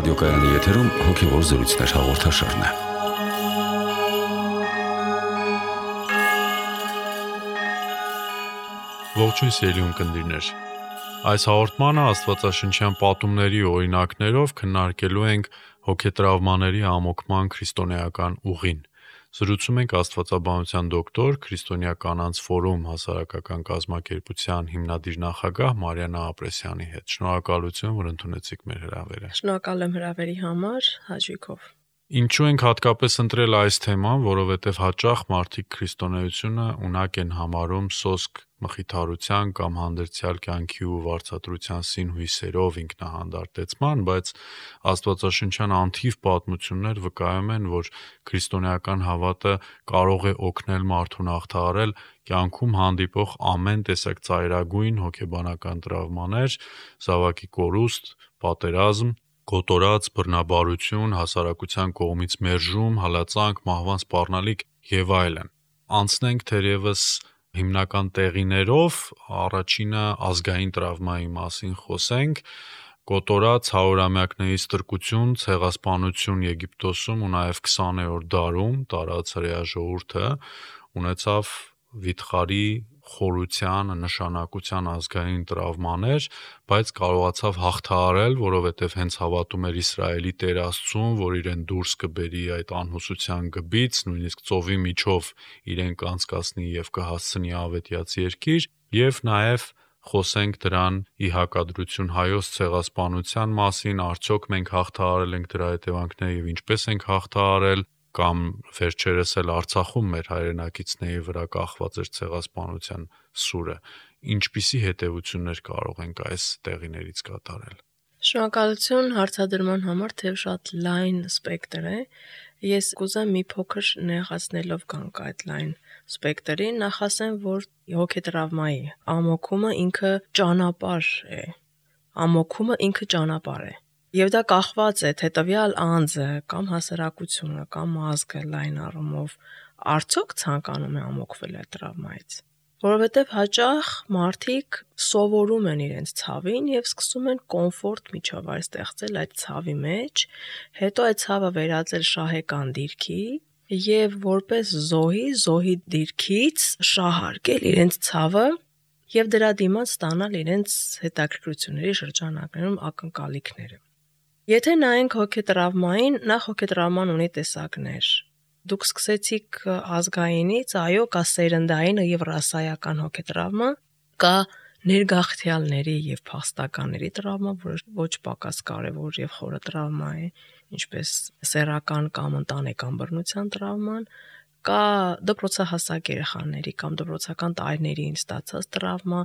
Ռադիոկայանի եթերում հոգևոր զրույցներ հաղորդաշարն է։ Ողջույն սիրելի ունկնդիրներ։ Այս հաղորդմանը աստվածաշնչյան պատումների օրինակներով քննարկելու ենք հոգետրավմաների ամոքման քրիստոնեական ուղին։ Զրուցում ենք աստվածաբանության դոկտոր, քրիստոնյա կանանց ֆորում հասարակական կազմակերպության հիմնադիր նախագահ Մարիաննա Ապրեսյանի հետ։ Շնորհակալություն, որ ընդունեցիք մեր հրավերը։ Շնորհակալ եմ հրավերի համար, հաճույքով։ Ինչու ենք հատկապես ընտրել այս թեման, որովհետև հաճախ մարդիկ քրիստոնեությունը ունակ են համարում սոսկ մխիթարության կամ հանդերձյալ կյանքի ու վարձատրության սին հույսերով ինքնահանդարտեցման, բայց աստվածաշնչյան անթիվ պատմություններ վկայում են, որ քրիստոնեական հավատը կարող է օգնել մարդուն հաղթահարել կյանքում հանդիպող ամեն տեսակ ծայրագույն հոգեբանական տրավմաներ, զավակի կորուստ, պատերազմ, կոտորած, բռնաբարություն, հասարակության կողմից մերժում, հալածանք, մահվան սպառնալիք եւ այլն։ Անցնենք թերևս հիմնական տեղիներով, առաջինը ազգային տրավմայի մասին խոսենք։ Կոտորած 100-ամյակների ստրկություն, ցեղասպանություն Եգիպտոսում ու նաև 20-րդ դարում տարած հրեա ժողովուրդը ունեցավ վիթխարի խորության, նշանակության ազգային տրավմաներ, բայց կարողացավ հաղթահարել, որովհետև հենց հավատում էր Իսրայելի Տեր Աստծուն, որ իրեն դուրս կբերի այդ անհուսության գբից, նույնիսկ ծովի միջով իրեն կանցկացնի եւ կհասցնի ավետյաց երկիր, եւ նաեւ խոսենք դրան ի հակադրություն հայոց ցեղասպանության մասին, արդյոք մենք հաղթահարել ենք դրա հետևանքները եւ ինչպես ենք հաղթահարել, կամ վերջերս էլ Արցախում մեր հայրենակիցների վրա կախված էր ցեղասպանության սուրը, ինչպիսի հետևություններ կարող ենք այս տեղիներից կատարել։ Շնորհակալություն հարցադրման համար, թեև շատ լայն սպեկտր է։ Ես կուզեմ մի փոքր նեղացնելով գանք այդ լայն սպեկտրին, նախ ասեմ, որ հոգետրավմայի ամոքումը ինքը ճանապարհ է։ Ամոքումը ինքը ճանապարհ է։ Եվ դա կախված է թե տվյալ անձը կամ հասարակությունը կամ ազգը լայն առումով արդյոք ցանկանում է ամոքվել այդ տրավմայից։ Որովհետև հաճախ մարդիկ սովորում են իրենց ցավին եւ սկսում են կոմֆորտ միջավայր ստեղծել այդ ցավի մեջ, հետո այդ ցավը վերածել շահեկան դիրքի եւ որպես զոհի դիրքից շահարկել իրենց ցավը եւ դրա դիմաց ստանալ իրենց հետաքրքրությունների շրջանակներում ակնկալիքները։ Եթե նայենք հոգետրավմային, նախ հոգետրավման ունի տեսակներ։ Դուք սկսեցիք ազգայինից, այո, կա սերնդային եւ ռասայական հոգետրավմա, կա ներգաղթյալների եւ փախստականների տրավմա, որը ոչ պակաս կարեւոր եւ խորը տրավմա է, ինչպես սեռական կամ ընտանեկան բռնության տրավման, կա դպրոցահասակ երեխաների կամ դպրոցական տարիներին ստացած տրավմա,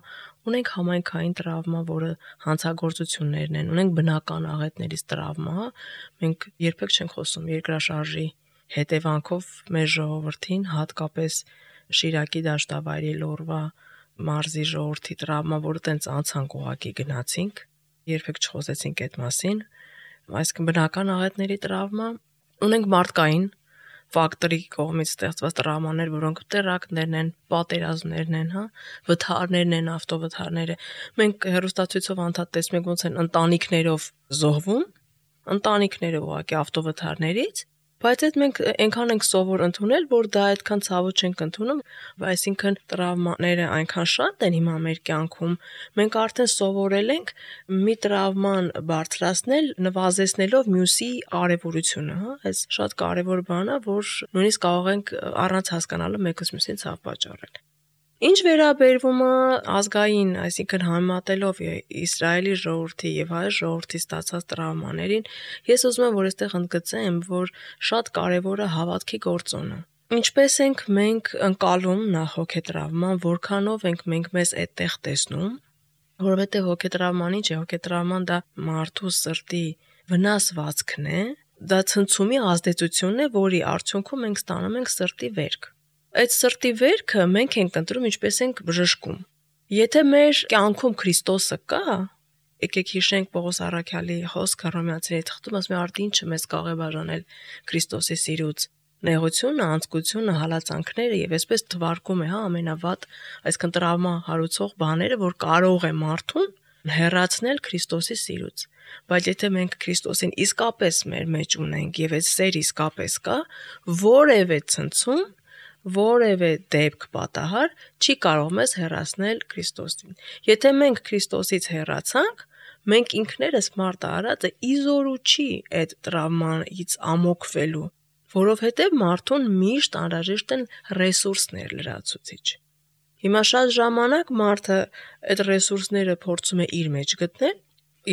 ունենք համայնքային տրավմա, որը հանցագործություններն են, ունենք բնական աղետներից տրավմա, մենք երբեք չենք խոսում երկրաշարժի հետևանքով մեր ժողովրդին, հատկապես Շիրակի դաշտավայրի Լոռվա մարզի ժողովրդի տրավմա, որը տենց անցանք ուղակի գնացինք, երբեք չխոսեցինք այդ մասին, այսինքն բնական աղետների տրավմա, ունենք մարդկային ֆակտորի կողմից ստեղծված տրավմաներ, որոնք տերակտներն են, պատերազմներն են, վթարներն են, ավտովթարները։ Մենք հեռուստացույցով անդադ տեսնում ենք ոնց են ընտանիքներով զոհվում, ընտանիքները ուղղակի ավտովթարներից, բայց այդ մենք այնքան ենք սովոր ընդունել, որ դա այդքան ցավոտ չենք ընդունում, այսինքն տրավմաները այնքան շատ են հիմա մեր կյանքում, մենք արդեն սովորել ենք մի տրավման բարձրացնել, նվազեցնելով մյուսի կարևորությունը, այս շատ կարևոր բան է, որ նույնիսկ կարող ենք առանց հասկանալու մեկս մյուսին ցավ պատճառել։ Ինչ վերաբերվում է ազգային, այսինքն համեմատելով Իսրայելի ժողովրդի եւ հայ ժողովրդի ստացած տրավմաներին, ես ուզում եմ, որ այստեղ ընդգծեմ, որ շատ կարեւոր է հավատքի գործոնը։ Ինչպես ենք մենք ընկալում նախ հոգետրավման, որքանով ենք մենք մեզ այդտեղ տեսնում, որովհետեւ հոգետրավման ինչ է, հոգետրավման դա մարդու սրտի վնասվածքն է, դա ցնցումի ազդեցությունն է, որի արդյունքում մենք ստանում ենք սրտի վերք։ Այդ սրտի վերքը մենք ենք ընտրում, ինչպես ենք բժշկում։ Եթե մեր կյանքում Քրիստոսը կա, եկեք հիշենք Պողոս առաքյալի խոսքը Հռոմեացիների թղթում, ասում է արդի ինչը մեզ կարող է բաժանել Քրիստոսի սիրուց, նեղությունը, անձկությունը, հալածանքները եւ այսպես թվարկում է, ամենավատ, այսինքն տրավմա հարուցող բաները, որ կարող է մարդուն հեռացնել Քրիստոսի սիրուց։ Բայց եթե մենք Քրիստոսին իսկապես մեր մեջ ունենք եւ այդ սեր իսկապես կա, որևէ ցնցում, որևէ դեպք պատահար չի կարող մեզ հեռացնել Քրիստոսին։ Եթե մենք Քրիստոսից հեռացանք, մենք ինքներս մարդ արածը իզորու չի այդ տրավմայից ամոքվելու, որովհետեւ մարդուն միշտ անհրաժեշտ են ռեսուրսներ լրացուցիչ։ Հիմա շատ ժամանակ մարդը այդ ռեսուրսները փորձում է իր մեջ գտնել,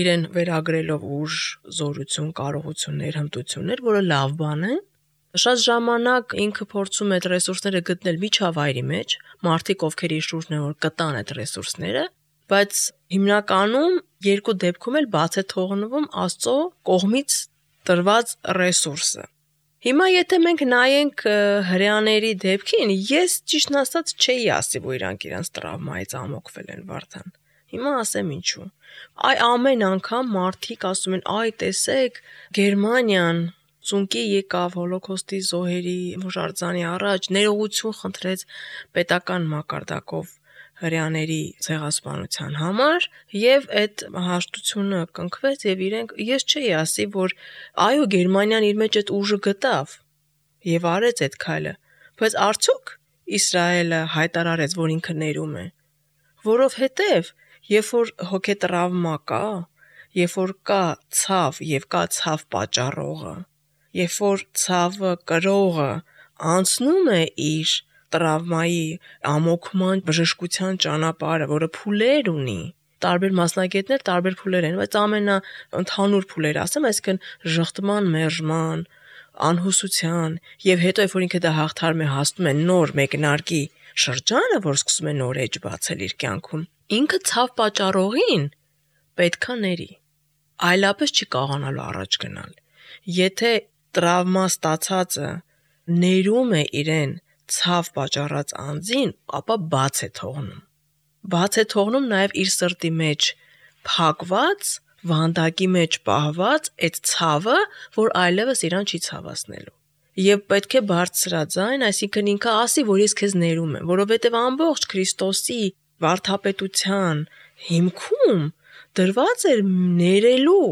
իրեն վերագրելով ուժ, զորություն, կարողություններ, հմտություններ, որը լավ բան է։ Շատ ժամանակ ինքը փորձում է այդ ռեսուրսները գտնել միջավայրի մեջ, մարդիկ ովքեր իր շուրջն են որ կտան այդ ռեսուրսները, բայց հիմնականում երկու դեպքում էլ բաց է թողնվում Աստծո կողմից տրված ռեսուրսը։ Հիմա եթե մենք նայենք հրեաների դեպքին, ես ճիշտն ասած չէի ասի, որ իրանք տրավմայից ամոքվել են Վարդան։ Հիմա ասեմ ինչու։ Ամեն անգամ մարդիկ ասում են, տեսեք, Գերմանիան ծունկի եկավ հոլոկոստի զոհերի հուշարձանի առաջ, ներողություն խնդրեց պետական մակարդակով հրեաների ցեղասպանության համար եւ այդ հաշտությունը կնքվեց եւ ես չէի ասի, որ Գերմանիան իր մեջ այդ ուժը գտավ եւ արեց այդ քայլը, բայց արդյոք Իսրայելը հայտարարեց, որ ինքը ներում է, որովհետեւ երբ որ հոգետրավմա կա, երբ որ կա ցավ եւ կա ցավ պատճառողը, երբ որ ցավը կրողը անցնում է իր տրավմայի ամոքման բժշկության ճանապարհը, որը փուլեր ունի, տարբեր մասնագետներ տարբեր փուլեր են, բայց ամենաընդհանուր փուլերը ասեմ, այսինքն ժխտման, մերժման, անհուսության եւ հետո երբ որ ինքը դա հաղթարում է, հասնում է նոր մեկնարկի շրջանը, որ սկսում է նոր էջ բացել իր կյանքում, ինքը ցավ պատճառողին պետքա ների, այլապես չի կարողանալու առաջ գնալ։ Եթե տրավմա ստացածը ներում է իրեն ցավ պատճառած անձին, ապա բաց է թողնում։ Բաց է թողնում նաև իր սրտի մեջ փակված, վանդակի մեջ պահված այդ ցավը, որ այլևս իրան չի ցավացնելու։ Եվ պետք է բարձրաձայն, այսինքն ինքը ասի, որ ես քեզ ներում եմ, որովհետև ամբողջ Քրիստոսի վարդապետության հիմքում դրված էր ներելու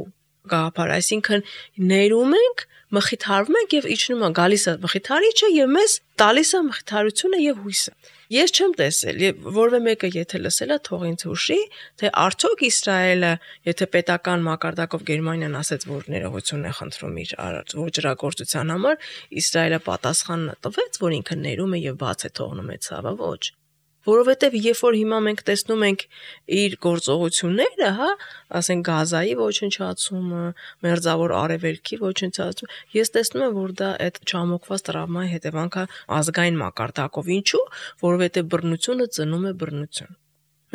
գաղափար, այսինքն ներում ենք, մխիթարվում ենք եւ իջնում է, գալիս է մխիթարիչը եւ մեզ տալիս է մխիթարությունը եւ հույսը։ Ես չեմ տեսել, եւ որևէ մեկը եթե լսել է, թող ինձ հուշի, թե արդյոք Իսրայելը, եթե պետական մակարդակով Գերմանիան ասեց, որ ներողություն է խնդրում իր ոչրագործության համար, Իսրայելը պատասխան տվեց, որ ինքը ներում է եւ բաց է թողնում է ցավը, ոչ։ Որովհետև երբ որ հիմա մենք տեսնում ենք իր գործողությունները, ասենք Գազայի ոչնչացումը, Մերձավոր Արևելքի ոչնչացումը, ես տեսնում եմ, որ դա այդ չամոքված տրավմայի հետևանք է ազգային մակարդակով։ Ինչու՞, որովհետև բռնությունը ծնում է բռնություն։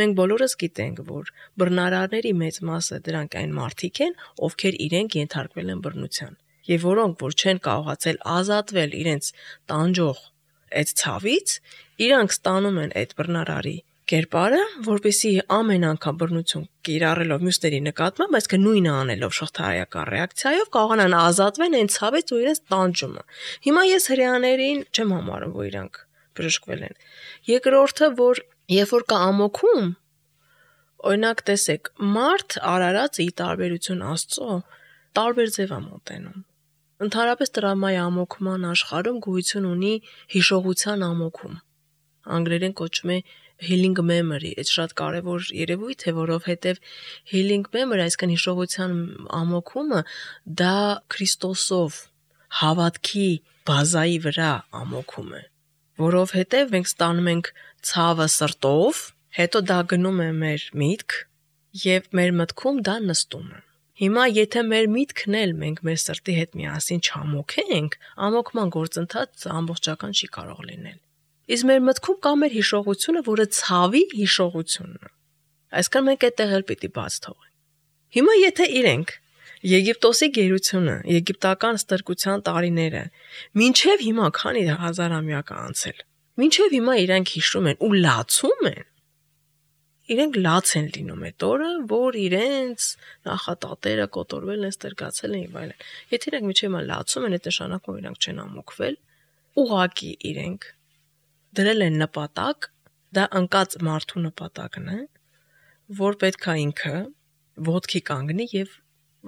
Մենք բոլորս գիտենք, որ բռնարարների մեծ մասը դրանք այն մարդիկ են, ովքեր իրենք ենթարկվել են բռնության, եւ որոնք որ չեն կարողացել ազատվել իրենց տանջող այդ ցավից, իրանք ստանում են այդ բռնարարի կերպարը, որպեսզի ամեն անգամ բռնություն կիրառելով մյուսների նկատմամբ, այսինքն նույնը անելով շղթայական ռեակցիայով կարողանան ազատվել այն ցավից ու իրենց տանջումը։ Հիմա ես հրեաներին չեմ համարում, որ իրանք բժշկվել են։ Երկրորդը, որ երբ որ կա ամոքում, օրինակ տեսեք, մարդ արարածը ի տարբերություն Աստծո տարբեր ձև է մոտենում։ Ընդհանրապես տրավմայի ամոքման աշխարհում գոյություն ունի հիշողության ամոքում։ Անգլերեն կոչվում է healing memory, այդ շատ կարևոր երևույթ է, որովհետև healing memory, այսինքն հիշողության ամոքումը, դա Քրիստոսով հավատքի բազայի վրա ամոքում է, որովհետև մենք ստանում ենք ցավը սրտով, հետո դա գնում է մեր միտք եւ մեր մտքում դա նստում է։ Հիմա եթե մեր միտքն էլ մենք մեր սրտի հետ միասին չամոքենք, ամոքման գործընթացը ամբողջական չի կարող լինել։ Իսկ մեր մտքում կա մեր հիշողությունը, որը ցավի հիշողությունն է։ Այսինքն մենք այդտեղ էլ պիտի բաց թողենք։ Հիմա եթե իրենք Եգիպտոսի գերությունը, եգիպտական ստրկության տարիները, մինչև հիմա քանի հազարամյակ անցել, մինչև հիմա իրենք հիշում են ու լացում են, իրենք լաց են լինում այդ օրը, որ իրենց նախատատերը կոտորվել են, ստրկացել են եւ այլն։ Եթե իրենք մինչև հիմա լացում են, այդ նշանակում իրենք չեն ամոքվել, ուղակի իրենք դրել են նպատակ, դա ընկած մարդու նպատակն է, որ պետք է ինքը ոտքի կանգնի եւ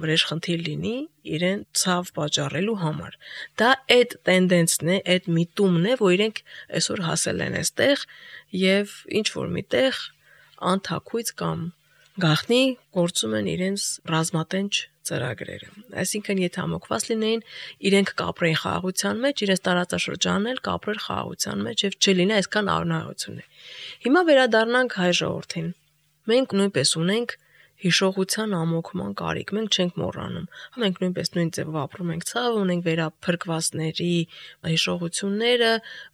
վրեժխնդիր լինի իրեն ցավ պատճառելու համար։ Դա այդ տենդենսն է, այդ միտումն է, որ իրենք այսօր հասել են այստեղ եւ ինչ որ միտեղ անթակույց կամ գախնի գործում են իրենց ռազմատենչ ծրագրերը։ Այսինքն եթե ամոկված լինեին, իրենք կապրեին խաղաղության մեջ, իրենց տարածաշրջանն էլ կապրեր խաղաղության մեջ եւ չլինի այսքան անհայություն։ Հիմա վերադառնանք հայ ժողովրդին։ Մենք նույնպես ունենք հիշողության ամոքման կարիք, մենք չենք մոռանում։ Մենք նույնպես նույն ձևով ապրում ենք ցավ, ունենք վերափրկվածների հիշողությունները,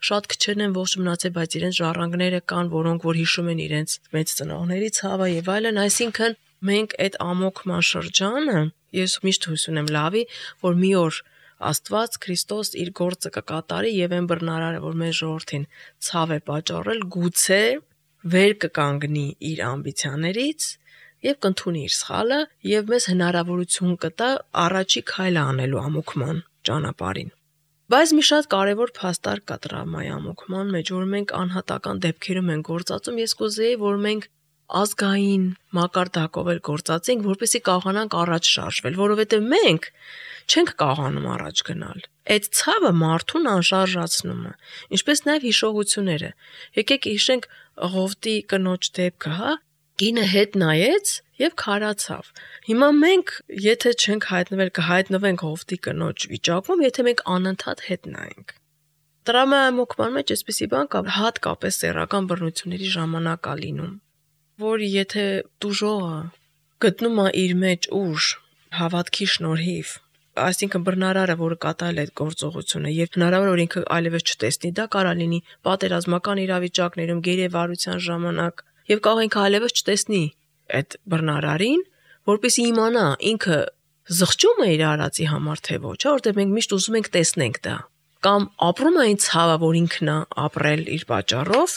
շատ քչերն են ողջ մնացել, բայց իրենց ժառանգները կան, որոնք որ հիշում են իրենց մեծ ծնողների ցավը եւ այլն, այսինքն մենք այդ ամոքման շրջանը, ես միշտ հույս ունեմ լավի, որ մի օր Աստված Քրիստոս իր գործը կկատարի եւ այն բռնարարը, որ մեր ժողովրդին ցավ է պատճառել, գուցե վեր կկանգնի իր ամբիցիաներից եւ կընդունի իր սխալը եւ մեզ հնարավորություն կտա առաջի քայլը անելու ամոքման ճանապարհին։ Բայց մի շատ կարևոր փաստարկ կա տրավմայի ամոքման մեջ, որ մենք անհատական դեպքերում ենք գործածում, ես կուզեի, որ մենք ազգային մակարդակով էլ գործածենք, որպեսզի կարողանանք առաջ շարժվել, որովհետեւ մենք չենք կարողանում առաջ գնալ։ Այդ ցավը մարդուն անշարժացնում է, ինչպես նաեւ հիշողությունները։ Եկեք հիշենք Ղովտի կնոջ դեպքը, հա։ Կինը հետ նայեց եւ քարացավ։ Հիմա մենք, եթե չենք հայտնվել, կհայտնվենք Ղովտի կնոջ վիճակում, եթե մենք անընդհատ հետ նայենք։ Տրավմայի ամոքման մեջ այսպեսի բան կա, հատկապես սեռական բռնությունների ժամանակ է լինում, որ եթե տուժողը գտնում է իր մեջ ուժ, հավատքի շնորհիվ, այսինքն բռնարարը, որը կատարել է այդ գործողությունը եւ հնարավոր որ ինքը այլևս չտեսնի, դա կարա լինի պատերազմական իրավիճակներում, գերեվարության ժամանակ եւ կարող ինքը այլևս չտեսնի այդ բռնարարին, որպեսզի իմանա ինքը զղջում է իր արածի համար թե ոչ, որտեղ մենք միշտ ուզում ենք տեսնենք դա, կամ ապրում է այն ցավը, որ ինքն է ապրել իր պատճառով,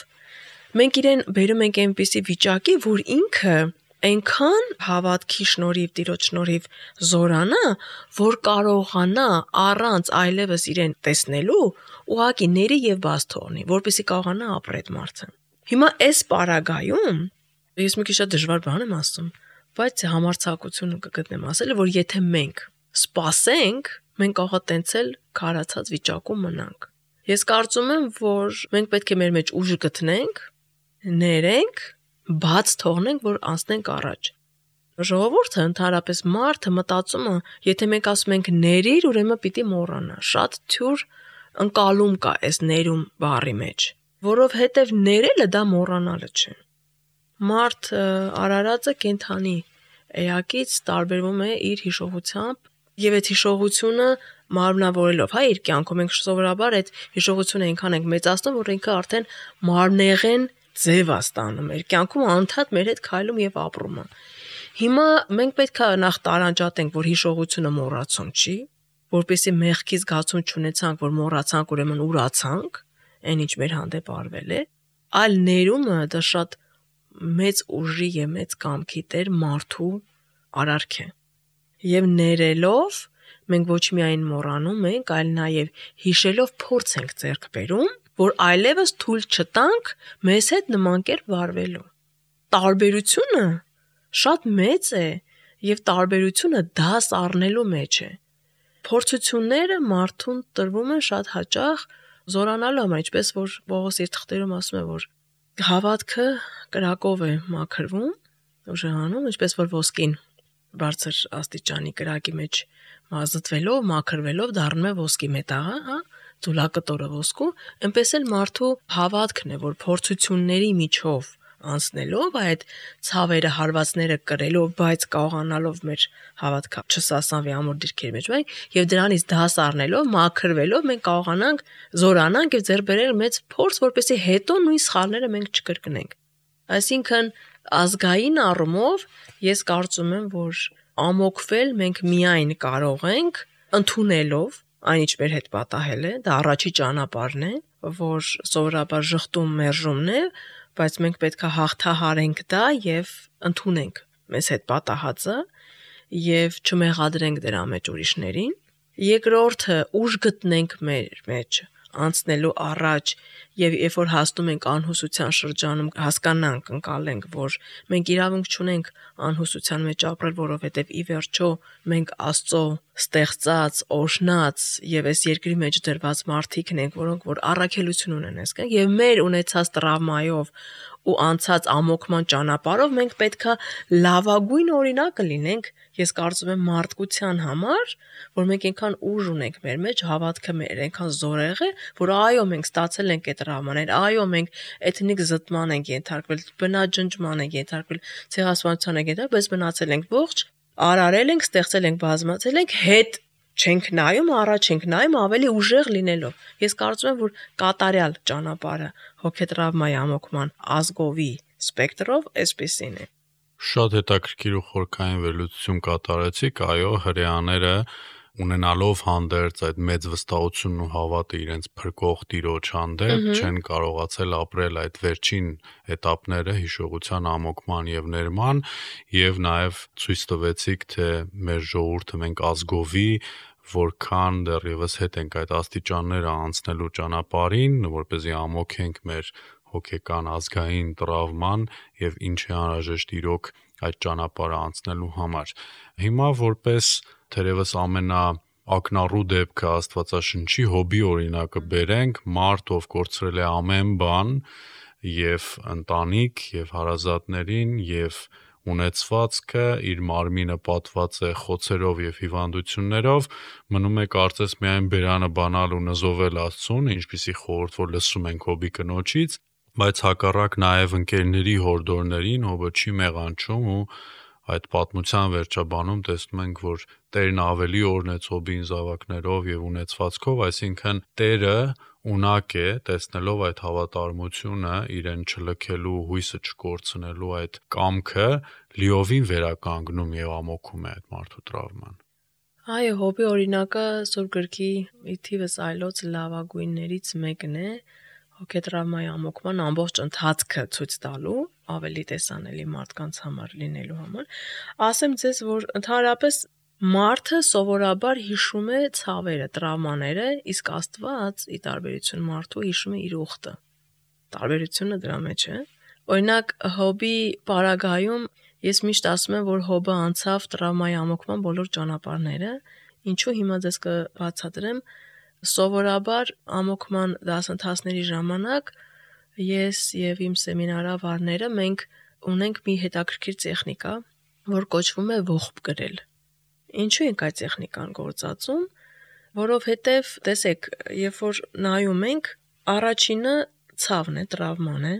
մենք իրեն բերում ենք այնպիսի վիճակի, որ ինքը այնքան հավատքի շնորհիվ, Տիրոջ շնորհիվ զորանա, որ կարողանա առանց այլևս իրեն տեսնելու ուղղակի ների եւ բաց թողնի, որպեսզի կարողանա ապրել այդ մարդը։ Հիմա այս պարագայում ես մի քիչ շատ դժվար բան եմ ասում, բայց համարձակությունը կգտնեմ ասել, որ եթե մենք սպասենք, մենք կարող է տենցել քարացած վիճակում մնանք։ Ես կարծում եմ, որ մենք պետք է մեր մեջ ուժ գտնենք, ներենք, բաց թողնենք, որ անցնենք առաջ։ Ժողովուրդը ընդհանրապես մարդը մտածում է, եթե մենք ասում ենք ներիր, ուրեմն պիտի մոռանա։ Շատ թյուր ընկալում կա այս ներում բառի մեջ, որովհետև ներելը դա մոռանալը չէ։ Մարդ արարածը կենդանի էակից տարբերվում է իր հիշողությամբ եւ այդ հիշողությունը մարմնավորելով, հա, իր կյանքում մենք սովորաբար այդ հիշողությունը այնքան ենք մեծացնում, որ ինքը արդեն մարմնեղեն ձև է ստանում, մեր կյանքում անընդհատ մեր հետ քայլում եւ ապրում է։ Հիմա մենք պետք է նախ տարանջատենք, որ հիշողությունը մոռացում չի, որպեսզի մեղքի զգացում չունեցանք, որ մոռացանք, ուրեմն ուրացանք, այն ինչ մեր հանդեպ արվել է, այլ ներումը դա շատ մեծ ուժի եւ մեծ կամքի տեր մարդու արարք է։ Եվ ներելով մենք ոչ միայն մոռանում ենք, այլ նաեւ հիշելով փորձ ենք ձեռք բերում, որ այլևս թույլ չտանք մեզ հետ նման կերպ վարվելու։ Տարբերությունը շատ մեծ է եւ տարբերությունը դաս առնելու մեջ է։ Փորձությունները մարդուն տրվում են շատ հաճախ զորանալու համար, ինչպես որ Պողոս իր թղթերում ասում է, որ հավատքը կրակով է մաքրվում, ուժեղանում, ինչպես որ ոսկին բարձր աստիճանի կրակի մեջ մազդվելով, մաքրվելով դառնում է ոսկի մետաղը, հա, ձուլակտորը ոսկու, այնպես էլ մարդու հավատքն է, որ փորձությունների միջով անցնելով այդ ցավերը, հարվածները կրելով, բայց կարողանալով մեր հավատքը չսասանվի ամուր դիրքերի մեջ, եւ դրանից դաս առնելով, մաքրվելով մենք կարողանանք զորանանք եւ ձեռք բերել մեծ փորձ, որպեսզի հետո նույն սխալները մենք չկրկնենք։ Այսինքն ազգային առումով ես կարծում եմ, որ ամոքվել մենք միայն կարող ենք ընդունելով այն ինչ մեր հետ պատահել է, դա առաջի ճանապարհն է, որ սովորաբար ժխտում մերժումն է, բայց մենք պետք է հաղթահարենք դա եւ ընդունենք մեզ հետ պատահածը եւ չմեղադրենք դրա մեջ ուրիշներին։ Երկրորդը ուժ գտնենք մեր մեջ անցնելու առաջ եւ երբ որ հասնում ենք անհուսության շրջանում հասկանանք, ընկալենք, որ մենք իրավունք չունենք անհուսության մեջ ապրել, որովհետեւ ի վերջո մենք Աստծո ստեղծած, օրհնած եւ այս երկրի մեջ դրված մարդիկն ենք, որոնք որ առաքելություն ունեն այսքան եւ մեր ունեցած տրավմայով ու անցած ամոքման ճանապարհով մենք պետքա լավագույն օրինակը լինենք, ես կարծում եմ մարդկության համար, որ մենք այնքան ուժ ունենք մեր մեջ, հավատքը մեր այնքան զորեղ է, որ այո, մենք ստացել ենք այդ տրավմաներ, այո, մենք էթնիկ զտման ենք ենթարկվել, բնաջնջման ենք ենթարկվել, ցեղասպանության ենք ենթարկվել, բայց մնացել ենք ողջ, արարել ենք, ստեղծել ենք, բազմացել ենք, հետ չենք նայում, առաջ ենք նայում ավելի ուժեղ լինելով։ Ես կարծում եմ, որ կատարյալ ճանապարհը հոգետրավմայի ամոքման ազգովի սպեկտրով այսպեսին է։ Շատ հետաքրքիր ու խորքային վերլուծություն կատարեցիք, այո, հրեաները ունենալով հանդերձ այդ մեծ վստահությունն ու հավատը իրենց փրկող Տիրոջ հանդեպ չեն կարողացել ապրել այդ վերջին էտապները հիշողության ամոքման եւ ներման եւ նաեւ ցույց տվեցիք, թե մեր ժողովուրդը մենք ազգովի որքան դեռևս հետ ենք այդ աստիճանները անցնելու ճանապարհին, որպեսզի ամոքենք մեր հոգեկան ազգային տրավման եւ ինչ է անհրաժեշտ իրոք այդ ճանապարհը անցնելու համար։ Հիմա որպես թերևս ամենաակնառու դեպքը Աստվածաշնչի Հոբի օրինակը բերենք, մարդ ով կորցրել է ամեն բան եւ ընտանիք եւ հարազատներին եւ ունեցվածքը, իր մարմինը պատված է խոցերով եւ հիվանդություններով, մնում է կարծես միայն բերանը բանալ ու նզովել Աստծուն, ինչպիսի խորհուրդ որ լսում ենք Հոբի կնոջից, բայց հակառակ նաեւ ընկերների հորդորներին Հոբը չի մեղանչում ու այդ պատմության վերջաբանում տեսնում ենք, որ Տերն ավելի օրհնեց Հոբին զավակներով եւ ունեցվածքով, այսինքն Տերը ունակ է տեսնելով այդ հավատարմությունը, իրեն չլքելու, հույսը չկորցնելու այդ կամքը, լիովին վերականգնում եւ ամոքում է այդ մարդու տրավման։ Այո, Հոբի օրինակը Սուրբ գրքի ի թիվս այլոց լավագույններից մեկն է, հոգետրավմայի ամոքման ամբողջ ընթացքը ցույց տալու, ավելի տեսանելի մարդկանց համար լինելու համար։ Ասեմ ձեզ, որ ընդհանրապես մարդը սովորաբար հիշում է ցավերը, տրավմաները, իսկ Աստված ի տարբերություն մարդու հիշում է իր ուխտը։ Տարբերությունը դրա մեջ է։ Օրինակ Հոբի պարագայում ես միշտ ասում եմ, որ Հոբը անցավ տրավմայի ամոքման բոլոր ճանապարհները, ինչու հիմա ձեզ կբացատրեմ։ Սովորաբար ամոքման դասընթացների ժամանակ ես եւ իմ սեմինարավարները մենք ունենք մի հետաքրքիր տեխնիկա, որ կոչվում է ողբ գրել։ Ինչու ենք այդ տեխնիկան գործածում, որովհետեւ տեսեք, երբ որ նայում ենք, առաջինը ցավն է, տրավման է,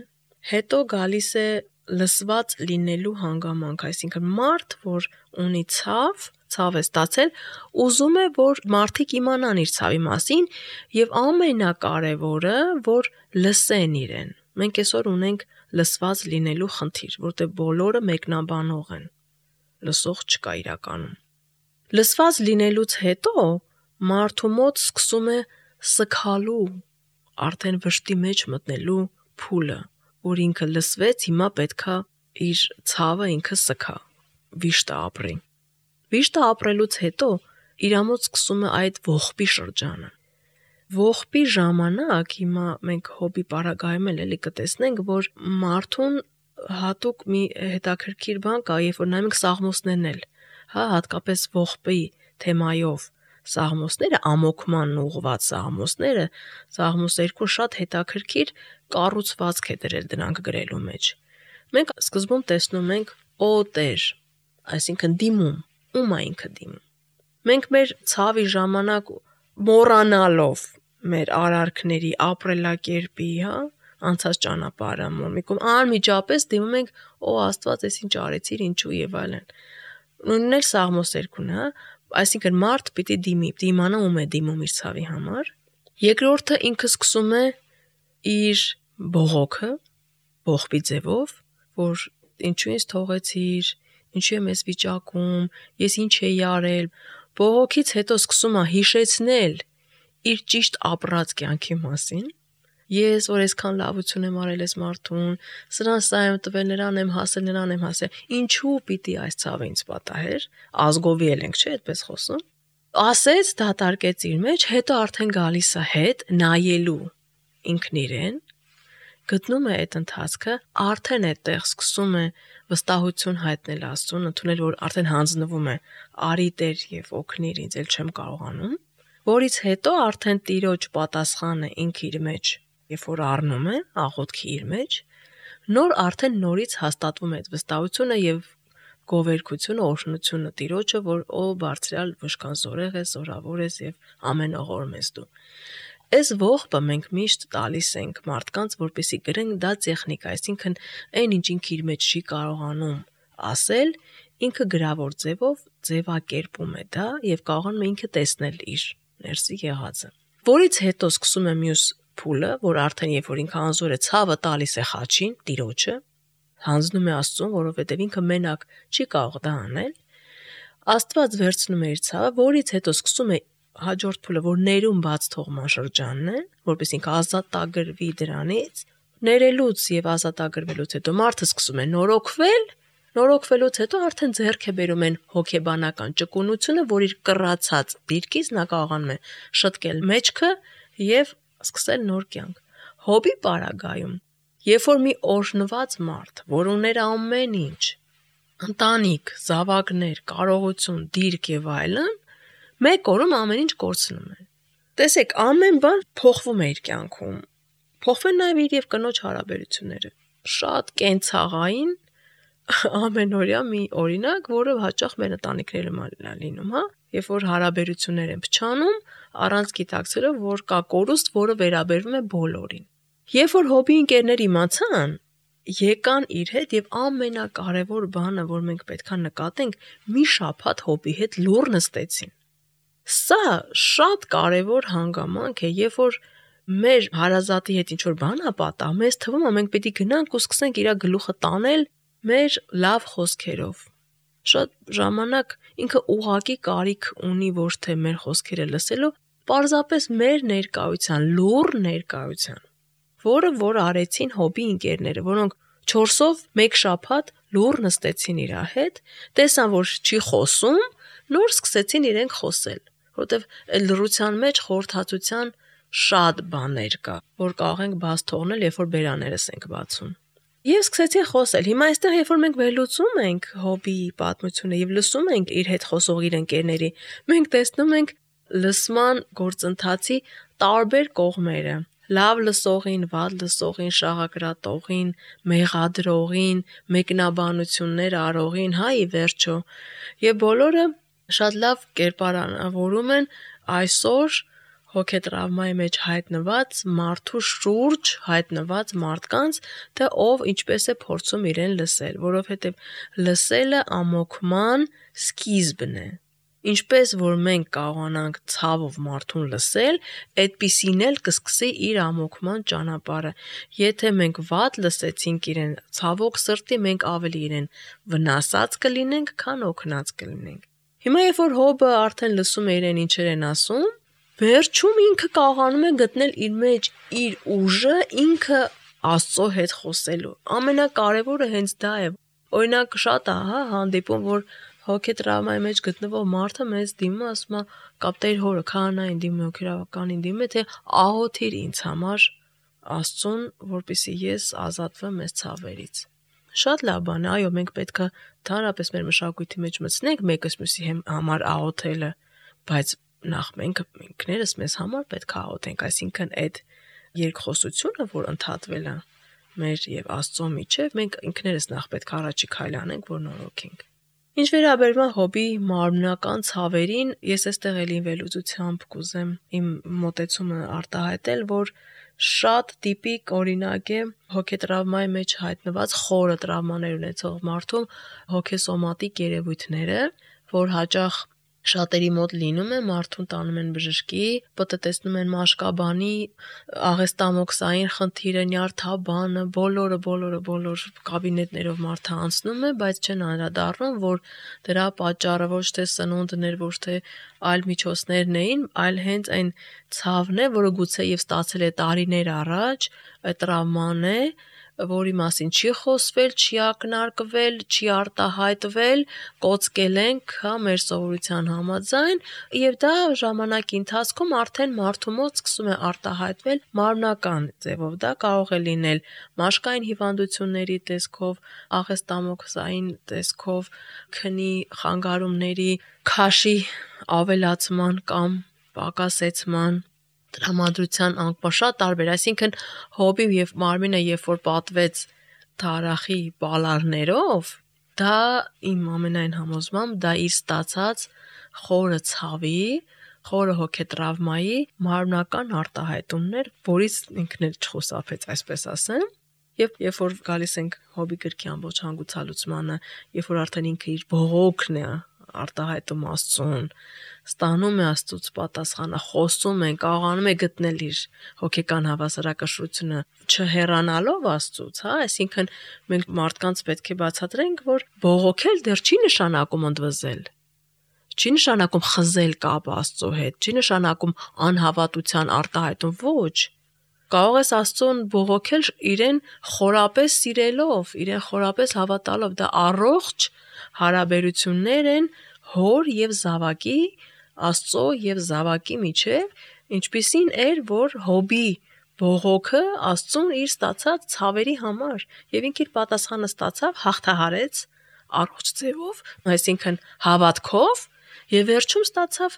հետո գալիս է լսված լինելու հանգամանք, այսինքն մարդ, որ ունի ցավ է ստացել, ուզում է, որ մարդիկ իմանան իր ցավի մասին եւ ամենակարևորը, որ լսեն իրեն։ Մենք այսօր ունենք լսված լինելու խնդիր, որտեղ բոլորը մեկնաբանող են։ Լսող չկա իրականում։ Լսված լինելուց հետո մարդու մոտ սկսում է սգալու, արդեն վշտի մեջ մտնելու փուլը, որ ինքը լսվեց, հիմա պետքա իր ցավը ինքը սգա, վիշտը ապրի։ Վիշտը ապրելուց հետո իր մոտ սկսում է այդ ողբի շրջանը։ Ողբի ժամանակ հիմա մենք Հոբի պարագայում էլի կտեսնենք, որ մարդուն հատուկ մի հետաքրքիր բան կա, երբ որ նայում ենք սաղմոսներն էլ, հատկապես ողբի թեմայով սաղմոսները, ամոքման ուղղված սաղմոսները, Սաղմոս 2 շատ հետաքրքիր կառուցվածք է դրել դրանք գրելու մեջ։ Մենք սկզբում տեսնում ենք «Օ Տեր», այսինքն դիմում, ում է ինքը դիմում։ Մենք մեր ցավի ժամանակ մոռանալով մեր արարքների, ապրելակերպի, անցած ճանապարհը մոռմիկում անմիջապես դիմում ենք «Օ Աստված, ես ինչ արեցիր, ինչու» եւ այլն։ Նույնն էլ Սաղմոս 2-ն, այսինքն մարդ պիտի դիմանա ում է դիմում իր ցավի համար։ Երկրորդը ինքը սկսում է իր բողոքը, ողբի ձևով, որ ինչու ինձ թողեցիր, ինչու եմ ես վիճակում, ես ինչ էի արել։ Բողոքից հետո սկսում է հիշեցնել իր ճիշտ ապրած կյանքի մասին։ Ես որ այսքան լավություն եմ արել այս մարդուն, սա եմ տվել, նրան եմ հասել, նրան եմ հասել։ Ինչու պիտի այս ցավը ինձ պատահեր։ Ազգովի ենք, չէ՞, այդպես խոսում։ ասեց, դատարկեց իր մեջ, հետո արդեն գալիս է հետ նայելու ինքն իրեն, գտնում է այդ ընթացքը, արդեն այդտեղ սկսում է վստահություն հայտնել Աստծուն, ընդունել, որ արդեն հանձնվում է, արի Տեր եւ օգնիր ինձ, ել չեմ կարողանում, որից հետո արդեն Տիրոջ պատասխանը ինքը իր մեջ, երբ որ առնում է աղոթքի իր մեջ, նոր արդեն նորից հաստատվում է այդ վստահությունը եւ գովերքությունը, օրհնությունը Տիրոջը, որ ո բարձրյալ վշկան զորեղ է, զորավոր ես եւ ամենողորմ ես դու։ Այս ողբը մենք միշտ տալիս ենք մարդկանց, որպեսզի գրեն դա տեխնիկա, այսինքն այն ինչ ինքը իր մեջ չի կարողանում ասել, ինքը գրավոր ձևով ձևակերպում է դա եւ կարողանում է ինքը տեսնել իր ներսի եղածը։ Որից հետո սկսում է մյուս փուլը, որ արդեն երբ որ ինքը անզոր է ցավը տալիս է խաչին, Տիրոջը, հանձնում է Աստծուն, որովհետեւ ինքը մենակ չի կարող դա անել, Աստված վերցնում է իր ցավը, որից հետո սկսում է հաջորդ փուլը, որ ներում բաց թողման շրջանն է, որպես ինքը ազատագրվի դրանից, ներելուց եւ ազատագրվելուց հետո մարդը սկսում է նորոգվելուց հետո արդեն ձեռք է բերում են հոգեբանական ճկունությունը, որ իր կռացած դիրքից նա կարողանում է շտկել մեջքը եւ սկսել նոր կյանք։ Հոբի պարագայում, երբ որ մի օրհնված մարդ, որ ուներ ամեն ինչ, ընտանիք, զավակներ, կարողություն, դիրք եւ այլն, մեկ օրում ամեն ինչ կորցնում է։ Տեսեք, ամեն բան փոխվում է իր կյանքում։ Փոխվում նաև իր եւ կնոջ հարաբերությունները։ Շատ կենցաղային ամենօրյա մի օրինակ, որը հաճախ մեր ընտանիքներում է լինում, հա, երբ որ հարաբերություններ են փչանում, առանց գիտակցելու, որ կա կորուստ, որը վերաբերվում է բոլորին։ Երբ որ հոբի ընկերներ իմացան, եկան իր հետ եւ ամենակարևոր բանը, որ մենք պետքա նկատենք, մի շաբաթ հոբի հետ լուռ նստեցին։ Սա շատ կարևոր հանգամանք է, երբ որ մեր հարազատի հետ ինչ-որ բան է պատահ, մեզ թվում է մենք պետք է գնանք ու սկսենք իր գլուխը տանել մեր լավ խոսքերով։ Շատ ժամանակ ինքը ուղակի կարիք ունի ոչ թե մեր խոսքերը լսելու, պարզապես մեր ներկայության, լուռ ներկայության, որ արեցին հոբի ընկերները, որոնք 4-ով մեկ շաբաթ լուռ նստեցին իր հետ, տեսան, որ չի խոսում, նոր սկսեցին իրենք խոսել, որովհետև այդ լռության մեջ խորհրդածության շատ բաներ կա, որ կարող ենք բաց թողնել, երբ որ բերաներս ենք բացում։ Եվ սկսեցին խոսել։ Հիմա այստեղ, երբ որ մենք վերլուծում ենք հոբիի պատմությունը եւ լսում ենք իր հետ խոսող իր ընկերների, մենք տեսնում ենք լսման գործընթացի տարբեր կողմերը։ Լավ լսողին, վատ լսողին, շաղակրատողին, մեղադրողին, մեկնաբանություններ արողին, հա, ի վերջո։ Եվ բոլորը շատ լավ կերպարանավորում են այսօր հոգետրավմայի մեջ հայտնված մարդու շուրջ հայտնված մարդկանց, թե ով ինչպես է փորձում իրեն լսել, որովհետև լսելը ամոքման սկիզբն է։ Ինչպես որ մենք կարողանանք ցավով մարդուն լսել, այդպիսին էլ կսկսի իր ամոքման ճանապարհը։ Եթե մենք վատ լսեցինք իրեն, ցավոք սրտի մենք ավելի իրեն վնասած կլինենք, քան օգնած կլինենք։ Հիմա երբ որ հոբը արդեն լսում է իրեն ինչեր են ասում, վերջում ինքը կարողանում է գտնել իր մեջ իր ուժը, ինքը Աստծո հետ խոսելու։ Ամենակարևորը հենց դա է։ Օրինակ շատ է, հա, հանդիպում, որ հոգետրավմայի մեջ գտնվող մարդը մեզ դիմում, ասում է, կապտեր հորը, քահանային դիմում, հոգեբանականին դիմում է, թե աղոթիր ինձ համար Աստծուն, որպեսզի ես ազատվեմ այս ցավերից։ Շատ լավ բան է, այո, մենք պետք է դարապես մեր մշակույթի մեջ մտցնենք մեկս մյուսի համար աղոթելը, բայց նախ մենք ինքներս մեզ համար պետք է աղոթենք, այսինքն այդ երկխոսությունը, որ ընդհատվել է մեր եւ Աստծո միջեւ, մենք ինքներս նախ պետք է առաջի քայլ անենք, որ նորոգենք։ Ինչ վերաբերում է հոբի մարմնական ցավերին, ես այստեղ էլի վերլուծությամբ կուզեմ իմ մոտեցումը արտահայտել, որ շատ տիպիկ օրինակ է հոգետրավմայի մեջ հայտնված խորը տրավմաներ ունեցող մարդու հոգեսոմատիկ երևույթները, որ հաճախ շատերի մոտ լինում է, մարդուն տանում են բժշկի, պատտեցնում են մաշկաբանի, աղեստամոքսային խնդիրը, նյարդաբանը, բոլոր կաբինետներով մարդը անցնում է, բայց չեն անդրադառնում, որ դրա պատճառը ոչ թե սնունդն էր, ոչ թե այլ միջոցներն էին, այլ հենց այն ցավն է, որը գուցե եւ ստացել է տարիներ առաջ, այդ տրավման է, որի մասին չի խոսվել, չի ակնարկվել, չի արտահայտվել, կոծկել ենք, մեր սովորության համաձայն, եւ դա ժամանակի ընթացքում արդեն մարդու մոտ սկսում է արտահայտվել մարմնական ձևով։ Դա կարող է լինել մաշկային հիվանդությունների տեսքով, աղեստամոքսային տեսքով, քնի խանգարումների, քաշի ավելացման կամ պակասեցման, տրամադրության անկման, շատ տարբեր, այսինքն հոբի եւ մարմինը երբ որ պատվեց թարախի բալարներով, դա իմ ամենայն համոզմամբ դա իր ստացած խորը ցավի, խորը հոգետրավմայի մարմնական արտահայտումներ, որից ինքն էլ չխուսափեց, այսպես ասեմ։ Եվ երբ որ գալիս ենք հոբի գրքի ամբողջ հանգուցալուծմանը, երբ որ արդեն ինքը իր բողոքն է արտահայտում Աստծուն, ստանում է Աստծուց պատասխանը, խոսում են, կարողանում է գտնել իր հոգեկան հավասարակշռությունը, չհեռանալով Աստծուց, այսինքն մենք մարդկանց պետք է բացատրենք, որ բողոքել դեռ չի նշանակում ընդվզել, չի նշանակում խզել կապը Աստծո հետ, չի նշանակում անհավատության արտահայտում, ոչ։ Կարող ես Աստծուն բողոքել իրեն խորապես սիրելով, իրեն խորապես հավատալով, դա առողջ հարաբերություններ են հոր եւ զավակի, Աստծո եւ զավակի միջև, ինչպիսին էր, որ հոբի բողոքը Աստծուն իր ստացած ցավերի համար, եւ ինքը իր պատասխանը ստացավ, հաղթահարեց առողջ ձևով, այսինքն հավատքով, եւ վերջում ստացավ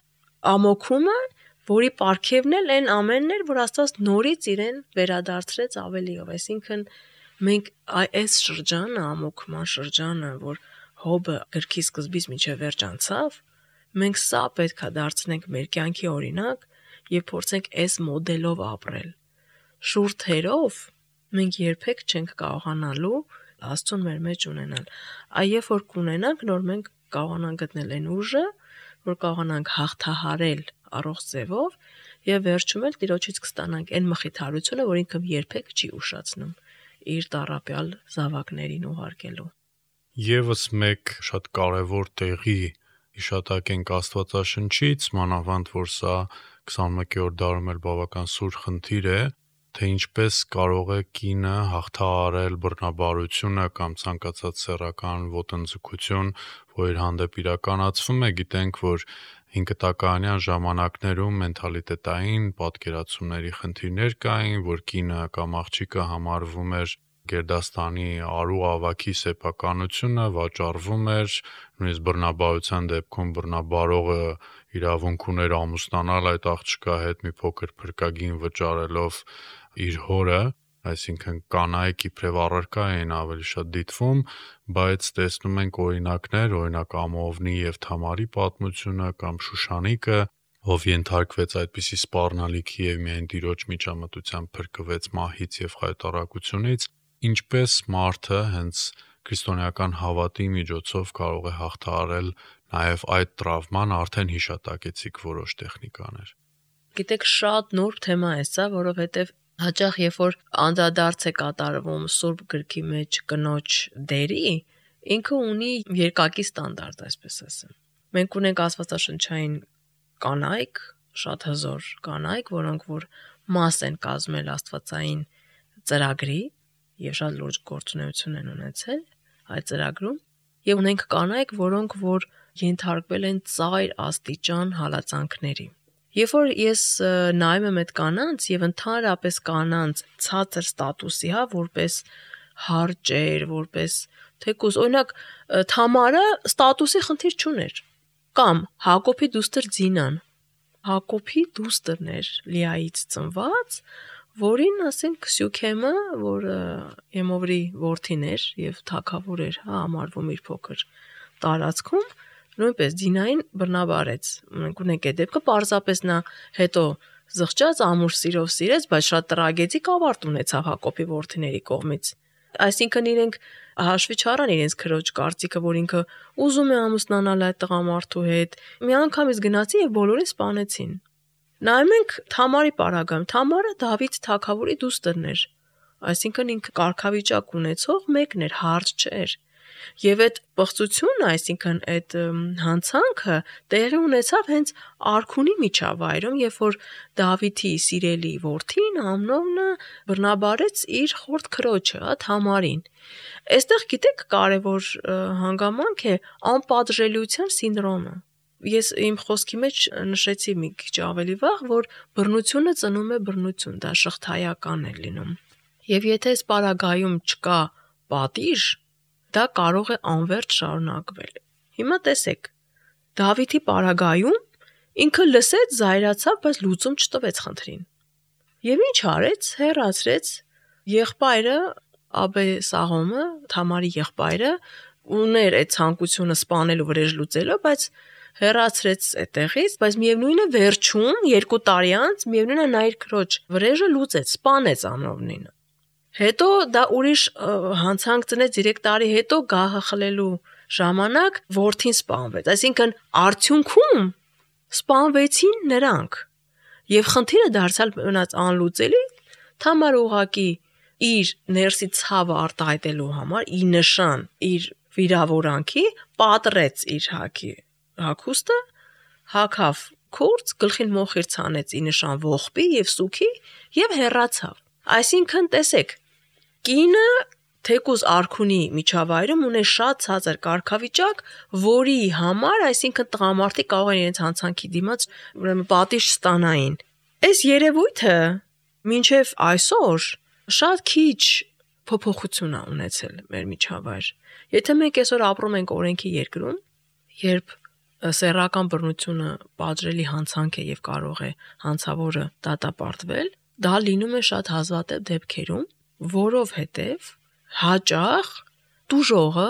ամոքումը, որի պարգևն էլ այն ամենն էր, որ Աստված նորից իրեն վերադարձրեց ավելիով, այսինքն մենք այս շրջանը, ամոքման շրջանը, որ հոբը գրքի սկզբից մինչև վերջ անցավ, մենք սա պետք է դարձնենք մեր կյանքի օրինակ եւ փորձենք այս մոդելով ապրել։ Շուրթերով մենք երբեք չենք կարողանալու Աստծուն մեր մեջ ունենալ։ Այ երբ որ կունենանք, նոր մենք կարողանանք գտնել այն ուժը, որ կարողանանք հաղթահարել առողջ ձևով եւ վերջում էլ Տիրոջից կստանանք այն մխիթարությունը, որ ինքը երբեք չի ուշացնում իր տառապյալ զավակներին ուղարկելու։ Եվս մեկ շատ կարևոր տեղի իշտակենք Աստվածաշնչից, մանավանդ որ սա 21-րդ դարում էլ բավական սուր խնդիր է, թե ինչպես կարող է կինը հաղթահարել բռնաբարությունը կամ ցանկացած սեռական ոտնձգություն, որ իր հանդեպ իրականացվում է, գիտենք, որ 5 տակարանյան ժամանակներում մենթալիտետային պատկերացումների խնդիրներ կային, որ կինը կամ աղջիկը համարվում էր գերդաստանի արու ավագի սեփականությունը, վաճառվում էր, նույնիսկ բռնաբարության դեպքում բռնաբարողը իրավունք ուներ ամուսնանալ այդ աղջկա հետ մի փոքր փրկագին վճարելով իր հորը, այսինքն կանայք իբրև առարկա էին ավելի շատ դիտվում, բայց տեսնում ենք օրինակներ, օրինակ Ամովնի եւ Թամարի պատմությունը կամ Շուշանիկը, ով ենթարկվեց այդպիսի սպառնալիքի եւ միայն Տիրոջ միջամտությամբ փրկվեց մահից եւ խայտառակությունից, ինչպես մարդը հենց քրիստոնեական հավատի միջոցով կարող է հաղթահարել նաեւ այդ տրավման, արդեն հիշատակեցիք որոշ տեխնիկաներ։ Գիտեք, շատ նուրբ թեմա է սա, որովհետեւ հաճախ երբ որ անդրադարձ է կատարվում Սուրբ գրքի մեջ կնոջ դերի, ինքը ունի երկակի ստանդարտ, այսպես ասեմ։ Մենք ունենք աստվածաշնչային կանայք, շատ հզոր կանայք, որոնք որ մաս են կազմել աստվածային ծրագրի եւ շատ լուրջ գործունեություն են ունեցել այդ ծրագրում, եւ ունենք կանայք, որոնք որ ենթարկվել են ծայր աստիճան հալածանքների։ Երբ որ ես նայում եմ այդ կանանց եւ ընդհանրապես կանանց ցածր ստատուսի, որպես հարճեր, որպես թեկուզ, օրինակ Թամարը ստատուսի խնդիր չուներ, կամ Հակոբի դուստր Ձինան, Հակոբի դուստրն էր Լիայից ծնված, որին ասենք Սյուքեմը, որ Էմովրի որդին էր եւ թագավոր էր, համարվում իր փոքր տարածքում, նույնպես Ձինային բռնաբարեց։ Մենք ունենք այդ դեպքը, պարզապես նա հետո զղջաց ամուր սիրով սիրեց, բայց շատ տրագեդիկ ավարտ ունեցավ Հակոբի որդիների կողմից։ Այսինքն իրենք հաշվի չառան իրենց քրոջ կարծիքը, որ ինքը ուզում է ամուսնանալ այդ տղամարդու հետ։ Մի անգամից գնացին եւ բոլորին սպանեցին։ Նայում ենք Թամարի պարագայում, Թամարը Դավիթ թագավորի դուստրն էր։ Այսինքն ինքը կարգավիճակ ունեցող մեկն էր, հարճ չէր։ Եվ այդ պղծությունը, այսինքն այդ հանցանքը տեղի ունեցավ հենց արքունի միջավայրում, երբ որ Դավիթի սիրելի որդին Ամնոնը բռնաբարեց իր խորտ քրոջը, Թամարին։ Այստեղ գիտեք կարևոր հանգամանք է անպատժելիության սինդրոմը։ Ես իմ խոսքի մեջ նշեցի մի քիչ ավելի վաղ, որ բռնությունը ծնում է բռնություն, դա շղթայական է լինում։ Եվ եթե այս պարագայում չկա պատիժ, դա կարող է անվերջ շարունակվել։ Հիմա տեսեք, Դավիթի պարագայում ինքը լսեց, զայրացավ, բայց լուծում չտվեց խնդրին։ Եվ ինչ արեց, հեռացրեց եղբայրը Աբեսաղոմը, Թամարի եղբայրը, ուներ այդ ցանկությունը սպանելու վրեժ լուծելու, բայց հեռացրեց այդտեղից, բայց միևնույն է վերջում 2 տարի անց միևնույն է նա իր քրոջ վրեժը լուծեց, սպանեց Ամնոնին։ Հետո դա ուրիշ հանցանք ծնեց 3 տարի հետո գահը խլելու ժամանակ որդին սպանվեց։ Այսինքն արդյունքում սպանվեցին նրանք։ Եվ խնդիրը դարձյալ մնաց անլուծելի, Թամարը ուղղակի իր ներսի ցավը արտահայտելու համար, ի նշան իր վիրավորանքի, պատռեց իր հագուստը, հագավ քուրձ, գլխին մոխիր ցանեց ի նշան ողբի եւ սուքի եւ հեռացավ։ Այսինքն տեսեք, կինը թեկուզ արքունի միջավայրում ունի շատ ցածր կարգավիճակ, որի համար, այսինքն տղամարդիկ կարող են իրենց հանցանքի դիմաց ուրեմն պատիժ ստանային։ Այս երևույթը մինչև այսօր շատ քիչ փոփոխություն է ունեցել մեր միջավայր։ Եթե մենք այսօր ապրում ենք օրենքի երկրում, երբ սեռական բռնությունը պատժելի հանցանք է եւ կարող է հանցավորը դատապարտվել, դա լինում է շատ հազվադեպ դեպքերում, որովհետեւ հաճախ տուժողը,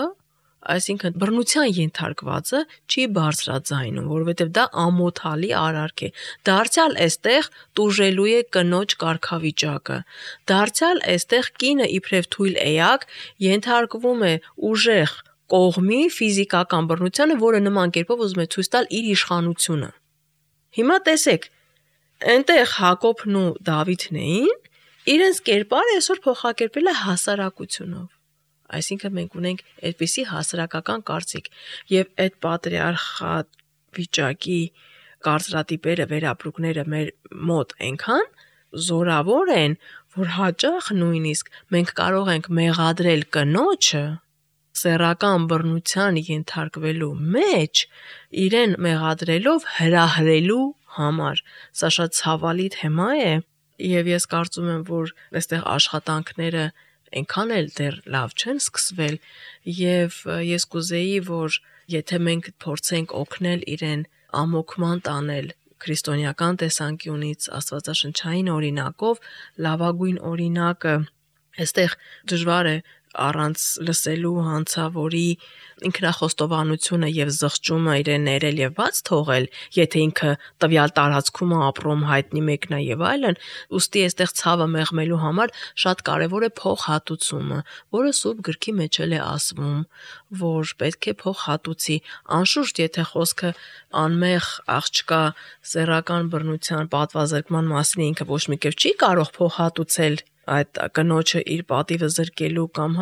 այսինքն բռնության ենթարկվածը չի բարձրաձայնում, որովհետեւ դա ամոթալի արարք է։ Դարձյալ այստեղ տուժելու է կնոջ կարգավիճակը։ Դարձյալ այստեղ կինը իբրև թույլ էակ ենթարկվում է ուժեղ կողմի ֆիզիկական բռնությանը, որը նման կերպով ուզում է ցույց տալ իր իշխանությունը։ Հիմա տեսեք, այնտեղ Հակոբն ու Դավիթն էին, իրենց կերպարը այսօր փոխակերպել է հասարակությունով։ Այսինքն մենք ունենք այդպիսի հասարակական կարծիք, եւ այդ պատրիարխատ վիճակի կարծրատիպերը, վերապրուկները մեր մոտ այնքան զորավոր են, որ հաճախ նույնիսկ մենք կարող ենք մեղադրել կնոջը սեռական բռնության ենթարկվելու մեջ, իրեն մեղադրելով հրահրելու համար։ Սա շատ ցավալի թեմա է, եւ ես կարծում եմ, որ այստեղ աշխատանքները այնքան էլ դեռ լավ չեն սկսվել, եւ ես կուզեի, որ եթե մենք փորձենք օգնել իրեն ամոքման տանել քրիստոնեական տեսանկյունից աստվածաշնչային օրինակով, լավագույն օրինակը այստեղ դժվար է առանց լսելու հանցավորի ինքնախոստովանությունը եւ զղջումը իրեն ներել եւ բաց թողել, եթե ինքը տվյալ տարածքում է ապրում, հայտնի մեկն է եւ այլն, ուստի այստեղ ցավը մեղմելու համար շատ կարեւոր է փոխհատուցումը, որը Սուրբ գրքի մեջ էլ է ասվում, որ պետք է փոխհատուցի։ Անշուշտ, եթե խոսքը անմեղ աղջկա սեռական բռնության պատվազրկման մասին է, ինքը ոչ մի կերպ չի կարող փոխհատուցել այդ կնոջը իր պատիվը զրկելու կամ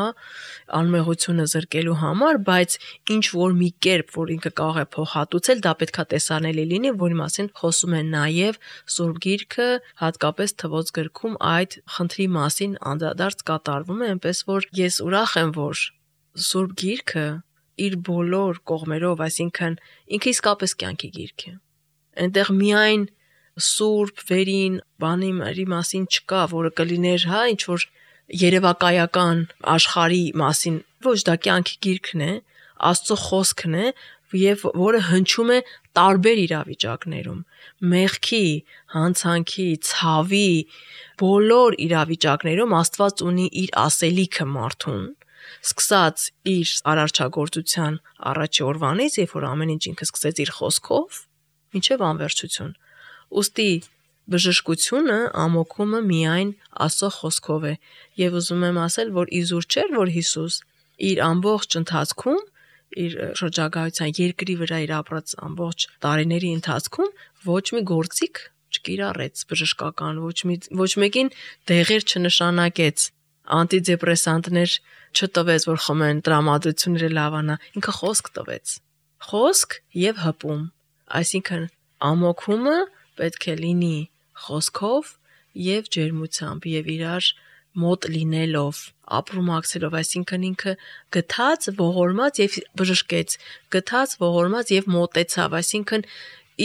անմեղությունը զրկելու համար, բայց ինչ որ մի կերպ, որ ինքը կարող է փոխհատուցել, դա պետքա տեսանելի լինի, որի մասին խոսում է նաև Սուրբ Գիրքը, հատկապես Թվոց գրքում այդ խնդրի մասին անդրադարձ կատարվում է, այնպես որ ես ուրախ եմ, որ Սուրբ Գիրքը իր բոլոր կողմերով, այսինքն ինքը իսկապես կյանքի գիրք է։ Այնտեղ միայն սուրբ վերին բանի մասին չկա, որը կլիներ, ինչ որ երևակայական աշխարհի մասին, ոչ, դա կյանքի գիրքն է, Աստծո խոսքն է, եւ որը հնչում է տարբեր իրավիճակներում, մեղքի, հանցանքի, ցավի, բոլոր իրավիճակներում Աստված ունի իր ասելիքը մարդուն, սկսած իր արարչագործության առաջի օրվանից, երբ որ ամեն ինչ ինքը սկսեց իր խոսքով, մինչև անվերջություն։ Ուստի բժշկությունը, ամոքումը միայն Աստծո խոսքով է, եւ ուզում եմ ասել, որ իզուր չէր, որ Հիսուս իր ամբողջ ընթացքում, իր շրջագայության երկրի վրա իր ապրած ամբողջ տարիների ընթացքում ոչ մի գործիք չկիրառեց բժշկական, ոչ մեկին դեղեր չնշանակեց, անտիդեպրեսանտներ չտվեց, որ խմեն, տրամադրությունները լավանա, ինքը խոսք տվեց։ Խոսք եւ հպում։ Այսինքն ամոքումը պետք է լինի խոսքով եւ ջերմությամբ եւ իրար մոտ լինելով, ապրումակցելով, այսինքն ինքը գթած, ողորմած եւ բժշկեց, գթած, ողորմած եւ մոտեցավ, այսինքն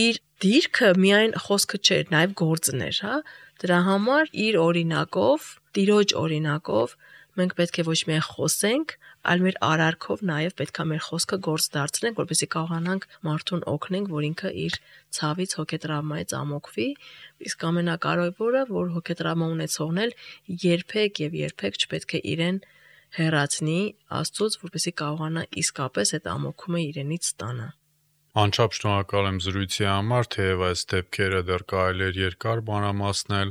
իր դիրքը միայն խոսքը չէր, նաեւ գործն էր, հա։ Դրա համար իր օրինակով, Տիրոջ օրինակով մենք պետք է ոչ միայն խոսենք, այլ մեր արարքով նաեւ պետք է մեր խոսքը գործ դարձնենք, որպեսզի կարողանանք մարդուն օգնենք, որ ինքը իր ցավից, հոգետրավմայից ամոքվի, իսկ ամենակարևորը, որ հոգետրավմա ունեցողն էլ երբեք չպետք է իրեն հեռացնի Աստծուց, որպեսզի կարողանա իսկապես այդ ամոքումը իրենից ստանա։ Անչափ շնորհակալ եմ զրույցի համար, թեև այս դեպքերը դեռ կարելի էր երկար մանրամասնել,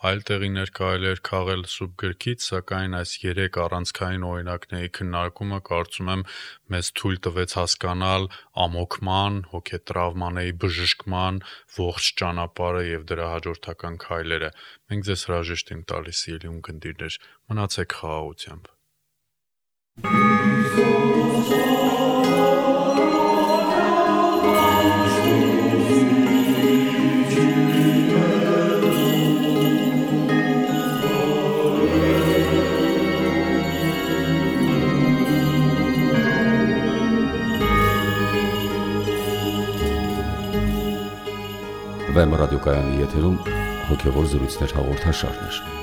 այլ տեղիներ կարելի էր քաղել սուրբ գրքից, սակայն այս 3 առանցքային օրինակների քննարկումը կարծում եմ մեզ թույլ տվեց հասկանալ ամոքման, հոգետրավմաների բժշկման ողջ ճանապարհը եւ դրա հաջորդական քայլերը։ Մենք ձեզ հրաժեշտ ենք տալիս, սիրելի ունկնդիրներ, մնացեք խաղաղությամբ։ Վեմ ռադիոկայանի եթերում հոգևոր զրույցներ հաղորդաշարներ։